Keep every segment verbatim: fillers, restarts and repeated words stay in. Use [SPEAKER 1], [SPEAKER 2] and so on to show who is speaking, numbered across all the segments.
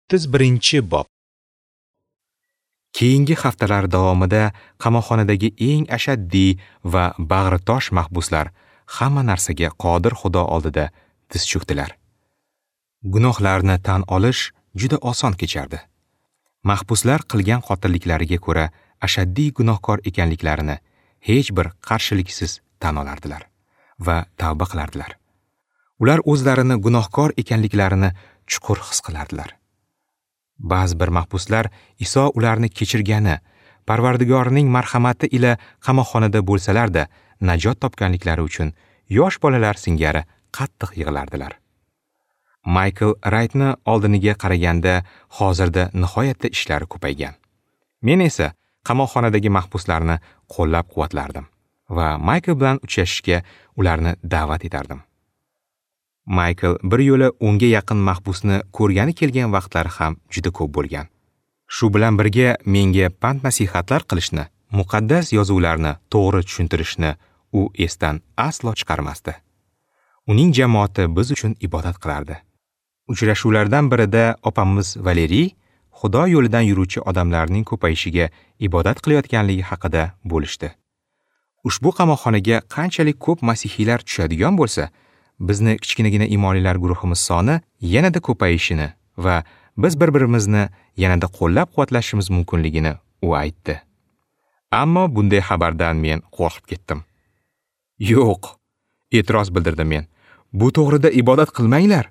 [SPEAKER 1] o'ttiz birinchi bob. Keyingi haftalar davomida qamoqxonadagi eng ashaddiy va bag'ritosh mahbuslar hamma narsaga qodir Xudo oldida tiz cho'kdilar. Gunohlarni tan olish juda oson kechardi. Mahbuslar qilgan qotilliklariga ko'ra ashaddiy gunohkor ekanliklarini hech bir qarshiliksiz tan olardilar va tavba qilardilar. Ular o'zlarini gunohkor ekanliklarini chuqur his qilardilar. Ba'zi bir mahbuslar Iso ularni kechirgani, Parvardigorning marhamati ila qamoqxonada bo'lsalar-da najot topganliklari uchun yosh bolalar singari qattiq yig'lardilar. Maykl Raytni oldiniga qaraganda hozirda nihoyatda ishlari ko'paygan. Men esa qamoqxonadagi mahbuslarni qo'llab-quvvatlardim va Maykl bilan uchrashishga ularni da'vat etardim. Maykl bir yo'la o'nga yaqin mahbusni ko'rgani kelgan vaqtlari ham juda ko'p bo'lgan. Shu bilan birga menga pand-nasihatlar qilishni, muqaddas yozuvlarni to'g'ri tushuntirishni u esdan aslo chiqarmasdi. Uning jamoati biz uchun ibodat qilardi. Uchrashuvlardan birida opamiz Valeriy Xudo yo'lidan yuruvchi odamlarning ko'payishiga ibodat qilayotganligi haqida bo'lishdi. Ushbu qamoqxonaga qanchalik ko'p masihiylar tushadigan bo'lsa, bizni kichkinagina imonlilar guruhimiz soni yanada ko'payishini va biz bir-birimizni yanada qo'llab-quvvatlashimiz mumkinligini u aytdi. Ammo bunday xabardan men qo'rqib ketdim. Yo'q, e'tiroz bildirdim men. Bu to'g'rida ibodat qilmanglar.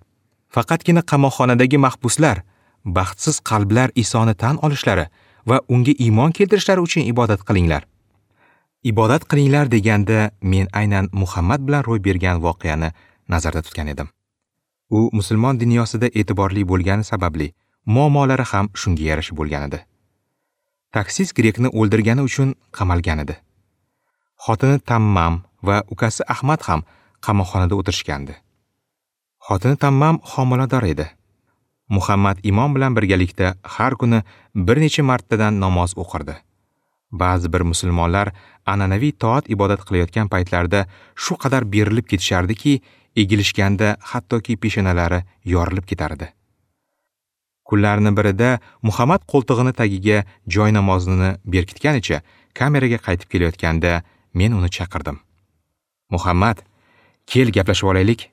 [SPEAKER 1] Faqatgina qamoqxonadagi mahbuslar, baxtsiz qalblar Isoni tan olishlari va unga iymon keltirishlari uchun ibodat qilinglar. Ibodat qilinglar deganda men aynan Muhammad bilan ro'y bergan voqeani nazarda tutgan edim. U musulmon dunyosida e'tiborli bo'lgani sababli muammolari ham shunga yarasha bo'lgan edi. Taksist grekni o'ldirgani uchun qamalgan edi. Xotini Tammam va ukasi Ahmad ham qamoqxonada o'tirishgandi. Xotini Tammam homilador edi. Muhammad imom bilan birgalikda har kuni bir necha martadan namoz o'qirdi. Ba'zi bir musulmonlar an'anaviy toat ibodat qilayotgan paytlarida shu qadar berilib ketishardiki, egilishganda hattoki peshonalari yorilib ketardi. Kunlarning birida Muhammad qo'ltig'ini tagiga joy namozini berkitganicha kameraga qaytib kelayotganda men uni chaqirdim. Muhammad, kel gaplashib olaylik,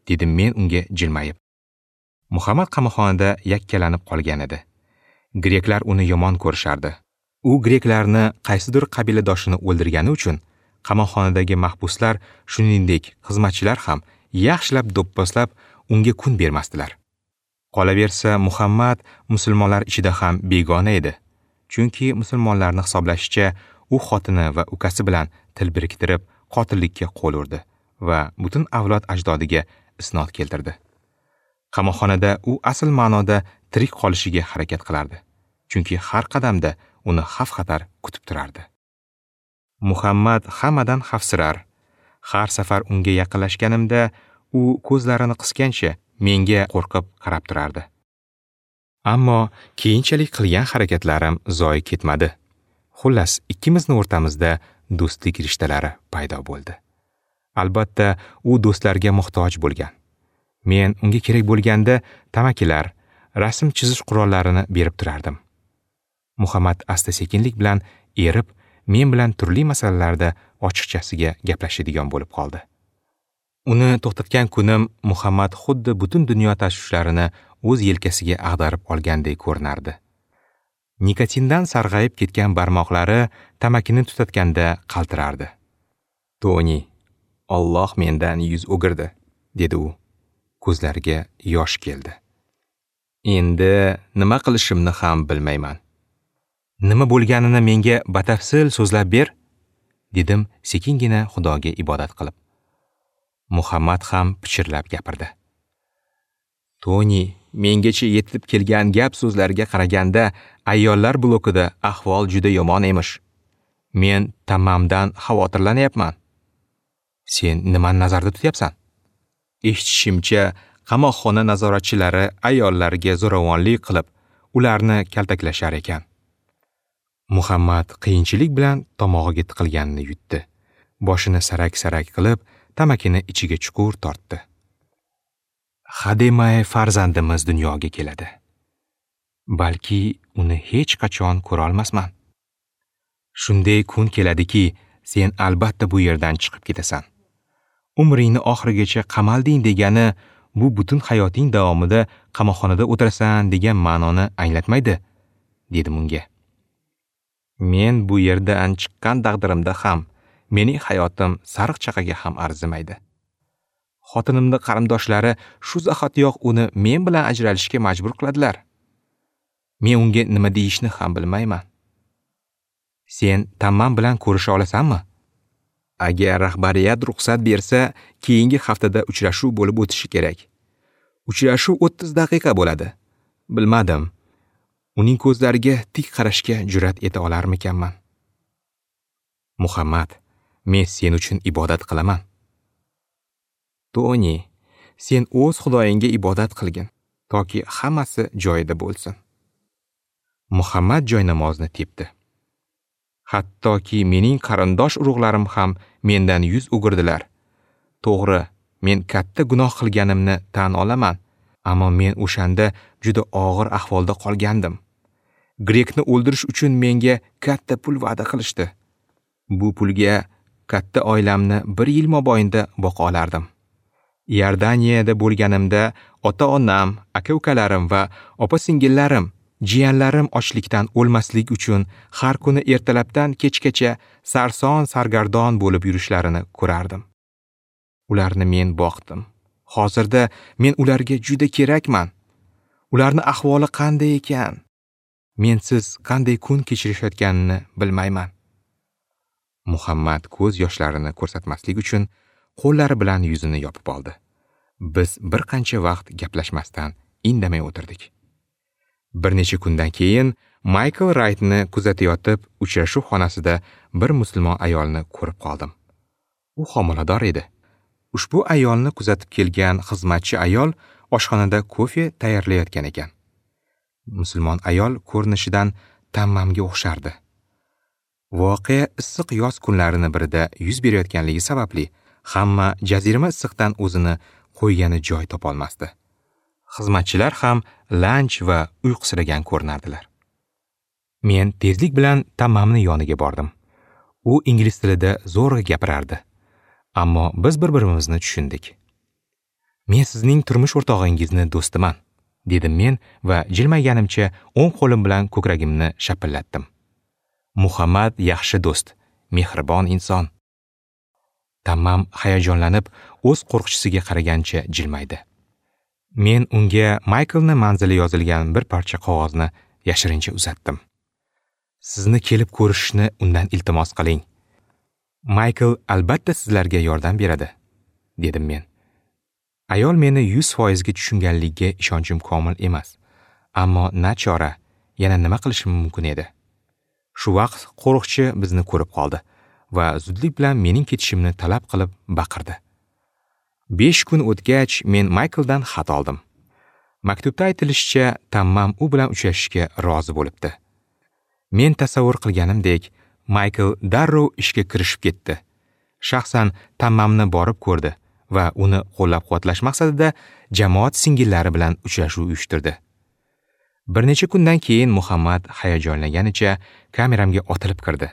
[SPEAKER 1] dedim men unga jilmayib. Muhammad qamoqxonada yakkalanib qolgan edi. Greklar uni yomon ko'rishardi. U greklarni qaysidir qabiladoshini o'ldirgani uchun qamoqxonadagi mahbuslar, shuningdek xizmatchilar ham yaxshilab do'pposlab unga kun bermasdilar. Qolaversa, Muhammad musulmonlar ichida ham begona edi. Chunki musulmonlarni hisoblashicha, u xotini va ukasi bilan til biriktirib qotillikka qo'l urdi va butun avlod ajdodiga isnod keltirdi. Qamoqxonada u asl ma'noda tirik qolishiga harakat qilardi. Chunki har qadamda uni xavf-xatar kutib turardi. Muhammad hammadan xavfsirar. Har safar unga yaqinlashganimda u ko'zlarini qisgancha menga qo'rqib qarab turardi. Ammo keyinchalik qilgan harakatlarim zoyi ketmadi. Xullas, ikkimizni o'rtamizda do'stlik rishtalari paydo bo'ldi. Albatta, u do'stlarga muhtoj bo'lgan. Men unga kerak bo'lganda tamakilar, rasm chizish qurollarini berib turardim. Muhammad asta-sekinlik bilan erib, men bilan turli masalalarda ochiqchasiga gaplashadigan bo'lib qoldi. Uni to'xtatgan kunim Muhammad xuddi butun dunyo tashvishlarini o'z yelkasiga ag'darib olgandek ko'rinardi. Nikotindan sarg'ayib ketgan barmoqlari tamakini tutatganda qaltirardi. Toni, Alloh mendan yuz o'girdi, dedi u. Ko'zlariga yosh keldi. Endi nima qilishimni ham bilmayman. Nima bo'lganini menga batafsil so'zlab ber, dedim sekingina Xudoga ibodat qilib. Muhammad ham pichirlab gapirdi. Toni, mengacha yetib kelgan gap so'zlarga qaraganda ayollar blokida ahvol juda yomon emish. Men Tammamdan xavotirlanyapman. Sen nimani nazarda tutyapsan? Eshitishimcha, qamoqxona nazoratchilari ayollarga zo'ravonlik qilib, ularni kaltaklashar ekan. Muhammad qiyinchilik bilan tomog'iga tiqilganini yutdi. Boshini sarak-sarak qilib, tamakini ichiga chuqur tortdi. Hademay farzandimiz dunyoga keladi. Balki uni hech qachon ko'ra olmasman. Shunday kun keladiki, sen albatta bu yerdan chiqib ketasan. Umringni oxirigacha qamalding degani bu butun hayoting davomida qamoqxonada o'tirasan degan ma'noni anglatmaydi, dedim unga. Men bu yerdan chiqqan taqdirimda ham mening hayotim sariq chaqaga ham arzimaydi. Xotinimning qarindoshlari shu zahotiyoq uni men bilan ajralishga majbur qiladilar. Men unga nima deyishni ham bilmayman. Sen Tammam bilan ko'risha olasanmi? Agar rahbariyat ruxsat bersa, keyingi haftada uchrashuv bo'lib o'tishi kerak. Uchrashuv o'ttiz daqiqa bo'ladi. Bilmadim. Uning ko'zlariga tik qarashga jur'at eta olarmikanman? Muhammad, men sen uchun ibodat qilaman. Toni, sen o'z Xudoyingga ibodat qilgin, toki hammasi joyida bo'lsin. Muhammad joynamozni tepdi. Hattoki mening qarindosh urug'larim ham mendan yuz o'girdilar. To'g'ri, men katta gunoh qilganimni tan olaman, ammo men o'shanda juda og'ir ahvolda qolgandim. Grekni o'ldirish uchun menga katta pul va'da qilishdi. Bu pulga katta oilamni bir yil mobaynida boqa olardim. Iordaniyada bo'lganimda ota-onam, aka-ukalarim va opa-singillarim, jiyanlarim ochlikdan o'lmaslik uchun har kuni ertalabdan kechgacha sarson sargardon bo'lib yurishlarini ko'rardim. Ularni men boqdim. Hozirda men ularga juda kerakman. Ularni ahvoli qanday ekan? Mensiz qanday kun kechirishayotganini bilmayman. Muhammad ko'z yoshlarini ko'rsatmaslik uchun qo'llari bilan yuzini yopib oldi. Biz bir qancha vaqt gaplashmasdan indamay o'tirdik. Bir necha kundan keyin Maykl Raytni kuzatayotib, uchrashuv xonasida bir musulmon ayolni ko'rib qoldim. U homilador edi. Ushbu ayolni kuzatib kelgan xizmatchi ayol oshxonada kofe tayyorlayotgan ekan. Musulmon ayol ko'rinishidan Tammamga o'xshardi. Voqea issiq yoz kunlarini birida yuz berayotganligi sababli hamma jazirama issiqdan o'zini qo'ygani joy topolmasdi. Xizmatchilar ham lanch va uyqusiragan ko'rinardilar. Men tezlik bilan Tammamni yoniga bordim. U ingliz tilida zo'rg'a gapirardi. Ammo biz bir-birimizni tushundik. Men sizning turmush o'rtog'ingizni do'stiman, dedim men va jilmayganimcha o'ng qo'lim bilan ko'kragimni shapillatdim. Muhammad yaxshi do'st, mehribon inson. Tammam hayajonlanib o'z qo'riqchisiga qaragancha jilmaydi. Men unga Mayklni manzili yozilgan bir parcha qog'ozni yashirincha uzatdim. Sizni kelib ko'rishni undan iltimos qiling. Maykl albatta sizlarga yordam beradi, dedim men. Ayol meni yuz foizga tushunganligiga ishonchim komil emas. Ammo nachora, yana nima qilishim mumkin edi? Shu vaqt qo'riqchi bizni ko'rib qoldi va zudlik bilan mening ketishimni talab qilib baqirdi. Besh kun o'tgach, men Maykldan xat oldim. Maktubda aytilishicha, Tammam u bilan uchrashishga rozi bo'libdi. Men tasavvur qilganimdek, Maykl darrov ishga kirishib ketdi. Shaxsan Tammamni borib ko'rdi va uni qo'llab-quvvatlash maqsadida jamoat singillari bilan uchrashuv uyushtirdi. Bir necha kundan keyin Muhammad hayajonlanganicha kameramga otilib kirdi.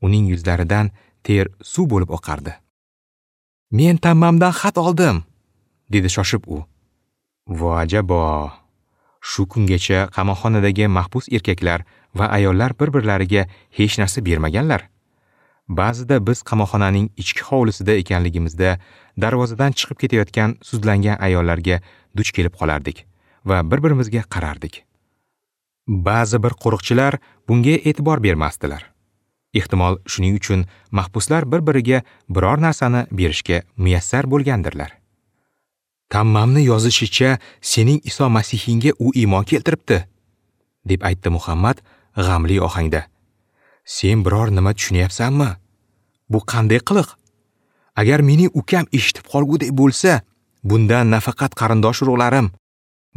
[SPEAKER 1] Uning yuzlaridan ter suv bo'lib oqardi. Men Tammamdan xat oldim, dedi shoshib u. Vo ajabo! Shu kungacha qamoqxonadagi mahbus erkaklar va ayollar bir-birlariga hech narsa bermaganlar. Ba'zida biz qamoqxonaning ichki hovlisida ekanligimizda darvozadan chiqib ketayotgan sudlangan ayollarga duch kelib qolardik va bir-birimizga qarardik. Ba'zi bir qo'riqchilar bunga e'tibor bermasdilar. Ehtimol shuning uchun mahbuslar bir-biriga biror narsani berishga muyassar bo'lgandirlar. Tammamni yozishicha, sening Iso Masihingga u iymon keltiribdi, deb aytdi Muhammad g'amli ohangda. Sen biror nima tushunyapsanmi? Bu qanday qiliq? Agar mening ukam eshitib qolgudek bo'lsa, bundan nafaqat qarindosh urug'larim,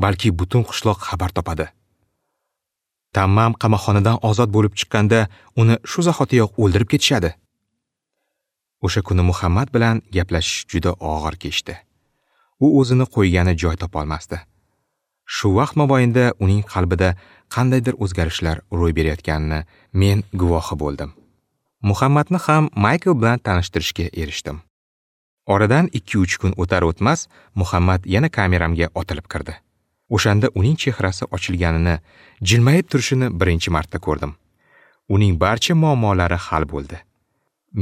[SPEAKER 1] balki butun qishloq xabar topadi. Tammam qamoqxonadan ozod bo'lib chiqqanda uni shu zahotiyoq o'ldirib ketishadi. O'sha kuni Muhammad bilan gaplashish juda og'ir kechdi. U o'zini qo'ygani joy topolmasdi. Shu vaqt mobaynida uning qalbida qandaydir o'zgarishlar ro'y berayotganini men guvohi bo'ldim. Muhammadni ham Maykl bilan tanishtirishga erishdim. Oradan ikki uch kun o'tar-o'tmas Muhammad yana kameramga otilib kirdi. O'shanda uning chehrasi ochilganini, jilmayib turishini birinchi marta ko'rdim. Uning barcha muammolari hal bo'ldi.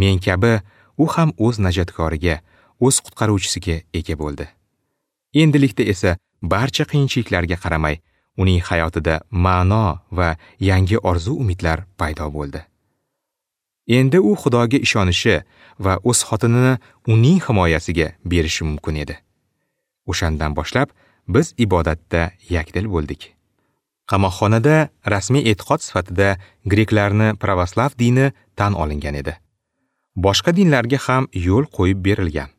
[SPEAKER 1] Men kabi u ham o'z najotkoriga, o'z qutqaruvchisiga ega bo'ldi. Endilikda esa barcha qiyinchiliklarga qaramay, uning hayotida ma'no va yangi orzu-umidlar paydo bo'ldi. Endi u Xudoga ishonishi va o'z xotinini uning himoyasiga berishi mumkin edi. O'shandan boshlab biz ibodatda yakdil bo'ldik. Qamoqxonada rasmiy e'tiqod sifatida greklarni pravoslav dini tan olingan edi. Boshqa dinlarga ham yo'l qo'yib berilgan.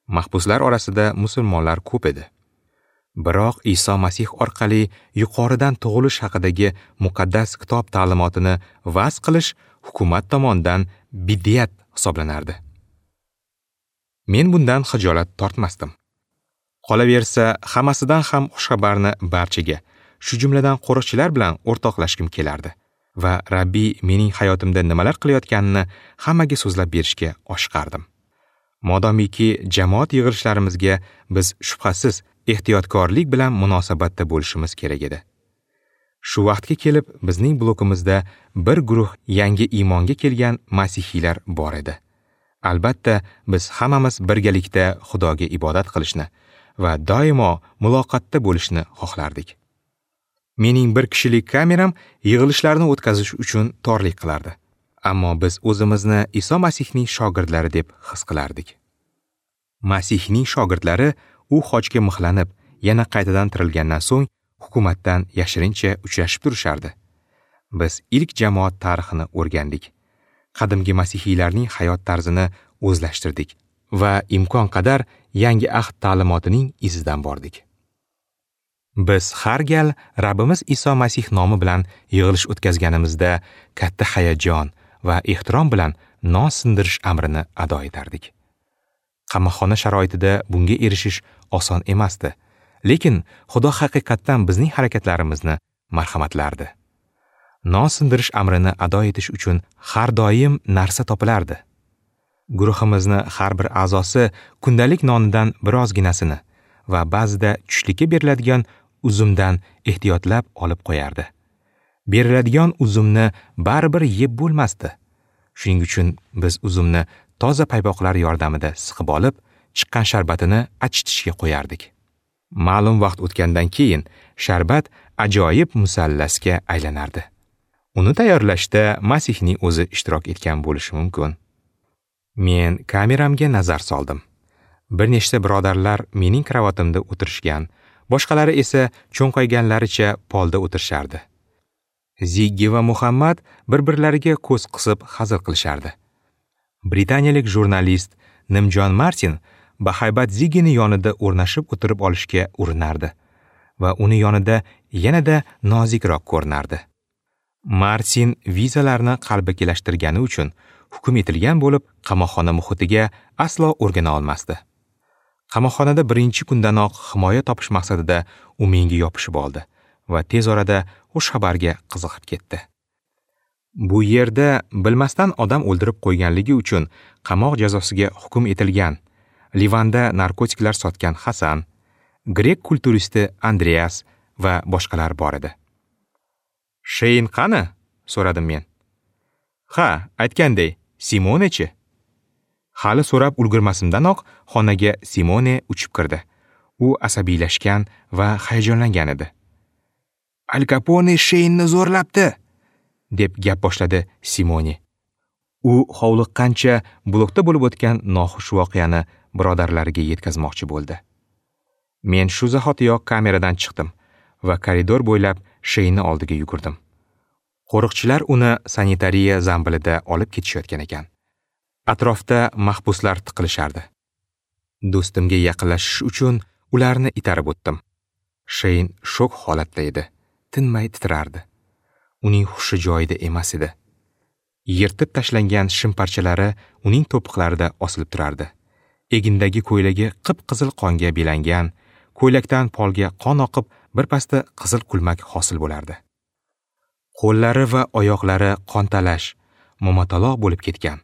[SPEAKER 1] Mahbuslar orasida musulmonlar ko'p edi. Biroq Iso Masih orqali yuqoridan tug'ilish haqidagi muqaddas kitob ta'limotini va'z qilish hukumat tomonidan bid'at hisoblanardi. Men bundan xijolat tortmasdim. Qolaversa, hammasidan ham xushxabarni barchaga, shu jumladan qo'riqchilar bilan o'rtoqlashgim kelardi va Rabbiy mening hayotimda nimalar qilayotganini hammaga so'zlab berishga oshiqardim. Modomiki jamoat yig'ilishlarimizga biz shubhasiz ehtiyotkorlik bilan munosabatda bo'lishimiz kerak edi. Shu vaqtga kelib bizning blokimizda bir guruh yangi iymonga kelgan masihiylar bor edi. Albatta, biz hammamiz birgalikda Xudoga ibodat qilishni va doimo muloqotda bo'lishni xohlardik. Mening bir kishilik kameram yig'ilishlarni o'tkazish uchun torlik qilardi. Ammo biz o'zimizni Iso Masihning shogirdlari deb his qilardik. Masihning shogirdlari u xochga mixlanib, yana qaytadan tirilgandan so'ng hukumatdan yashirincha uchrashib turishardi. Biz ilk jamoat tarixini o'rgandik. Qadimgi masihiylarning hayot tarzini o'zlashtirdik va imkon qadar yangi ahd ta'limotining izidan bordik. Biz har gal Rabbimiz Iso Masih nomi bilan yig'ilish o'tkazganimizda katta hayajon va ehtirom bilan non sindirish amrini ado etardik. Qamoqxona sharoitida bunga erishish oson emasdi, lekin Xudo haqiqatdan bizning harakatlarimizni marhamatlardi. Non sindirish amrini ado etish uchun har doim narsa topilardi. Guruhimizni har bir a'zosi kundalik nonidan birozginasini va ba'zida tushlikka beriladigan uzumdan ehtiyotlab olib qo'yardi. Beriladigan uzumni baribir yeb bo'lmasdi. Shuning uchun biz uzumni toza paypoqlar yordamida siqib olib, chiqqan sharbatini achitishga qo'yardik. Ma'lum vaqt o'tgandan keyin sharbat ajoyib musallasga aylanardi. Uni tayyorlashda Masihning o'zi ishtirok etgan bo'lishi mumkin. Men kameramga nazar soldim. Bir nechta birodarlar mening kravatimda o'tirishgan, boshqalari esa cho'nqayganlaricha polda o'tirishardi. Ziggi va Muhammad bir-birlariga ko'z qisib hazil qilishardi. Britaniyalik jurnalist Nimjon Martin bahaybat Ziggini yonida o'rnashib o'tirib olishga urinardi va uni yonida yanada nozikroq ko'rinardi. Martin vizalarni qalbakilashtirgani uchun hukm etilgan bo'lib, qamoqxona muhitiga aslo o'rgana olmasdi. Qamoqxonada birinchi kundanoq himoya topish maqsadida u menga yopishib oldi va tez orada xush xabarga qiziqib ketdi. Bu yerda bilmasdan odam o'ldirib qo'yganligi uchun qamoq jazosiga hukm etilgan, Livanda narkotiklar sotgan Hasan, grek kulturisti Andreas va boshqalar bor edi. "Sheyn qani?" so'radim men. "Ha, aytganday, Simonechi?" Hali so'rab ulgurmasimdanoq xonaga Simone uchib kirdi. U asabiylashgan va hayajonlangan edi. "Al Capone Sheynni zo'rlabdi", deb gap boshladi Simone. U hovliqqancha blokda bo'lib o'tgan noxush voqeani birodarlariga yetkazmoqchi bo'ldi. Men shu zahotiyoq kameradan chiqdim va koridor bo'ylab Sheynni oldiga yugurdim. Qo'riqchilar uni sanitariya zambilida olib ketishayotgan ekan. Atrofda mahbuslar tiqilishardi. Do'stimga yaqinlashish uchun ularni itarib o'tdim. Sheyn shok holatda edi, tinmay titrardi. Uning hushi joyida emas edi. Yirtib tashlangan shim parchalari uning to'piqlarida osilib turardi. Egindagi ko'ylagi qip-qizil qonga belangan, ko'ylakdan polga qon oqib, Birpasda qizil kulmak hosil bo'lardi. Qo'llari va oyoqlari qontalash, momataloq bo'lib ketgan.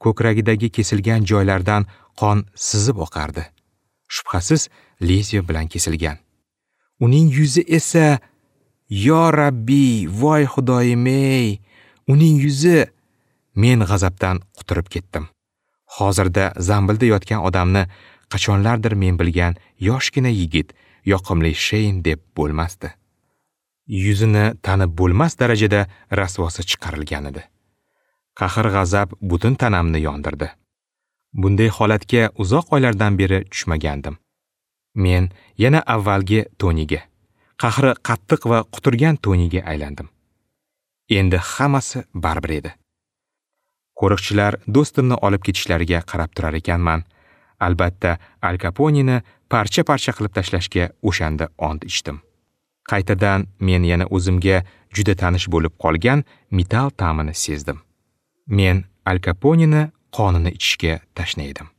[SPEAKER 1] Ko'kragidagi kesilgan joylardan qon sizib oqardi. Shubhasiz lezviya bilan kesilgan. Uning yuzi esa, yo Rabbi, voy Xudoyim ey, uning yuzi, men g'azabdan quturib ketdim. Hozirda zambilda yotgan odamni qachonlardir men bilgan yoshgina yigit, yoqimli Sheyn deb bo'lmasdi. Yuzini tanib bo'lmas darajada rasvosi chiqarilgan edi. Qahr-g'azab butun tanamni yondirdi. Bunday holatga uzoq oylardan beri tushmagandim. Men yana avvalgi Toniga, qahri qattiq va quturgan Toniga aylandim. Endi hammasi baribir edi. Qo'riqchilar do'stimni olib ketishlariga qarab turar ekanman. Albatta, Al Kaponeni parcha-parcha qilib tashlashga o'shanda ont ichdim. Qaytadan men yana o'zimga juda tanish bo'lib qolgan metal ta'mini sezdim. Men Al Kaponeni qonini ichishga tashna edim.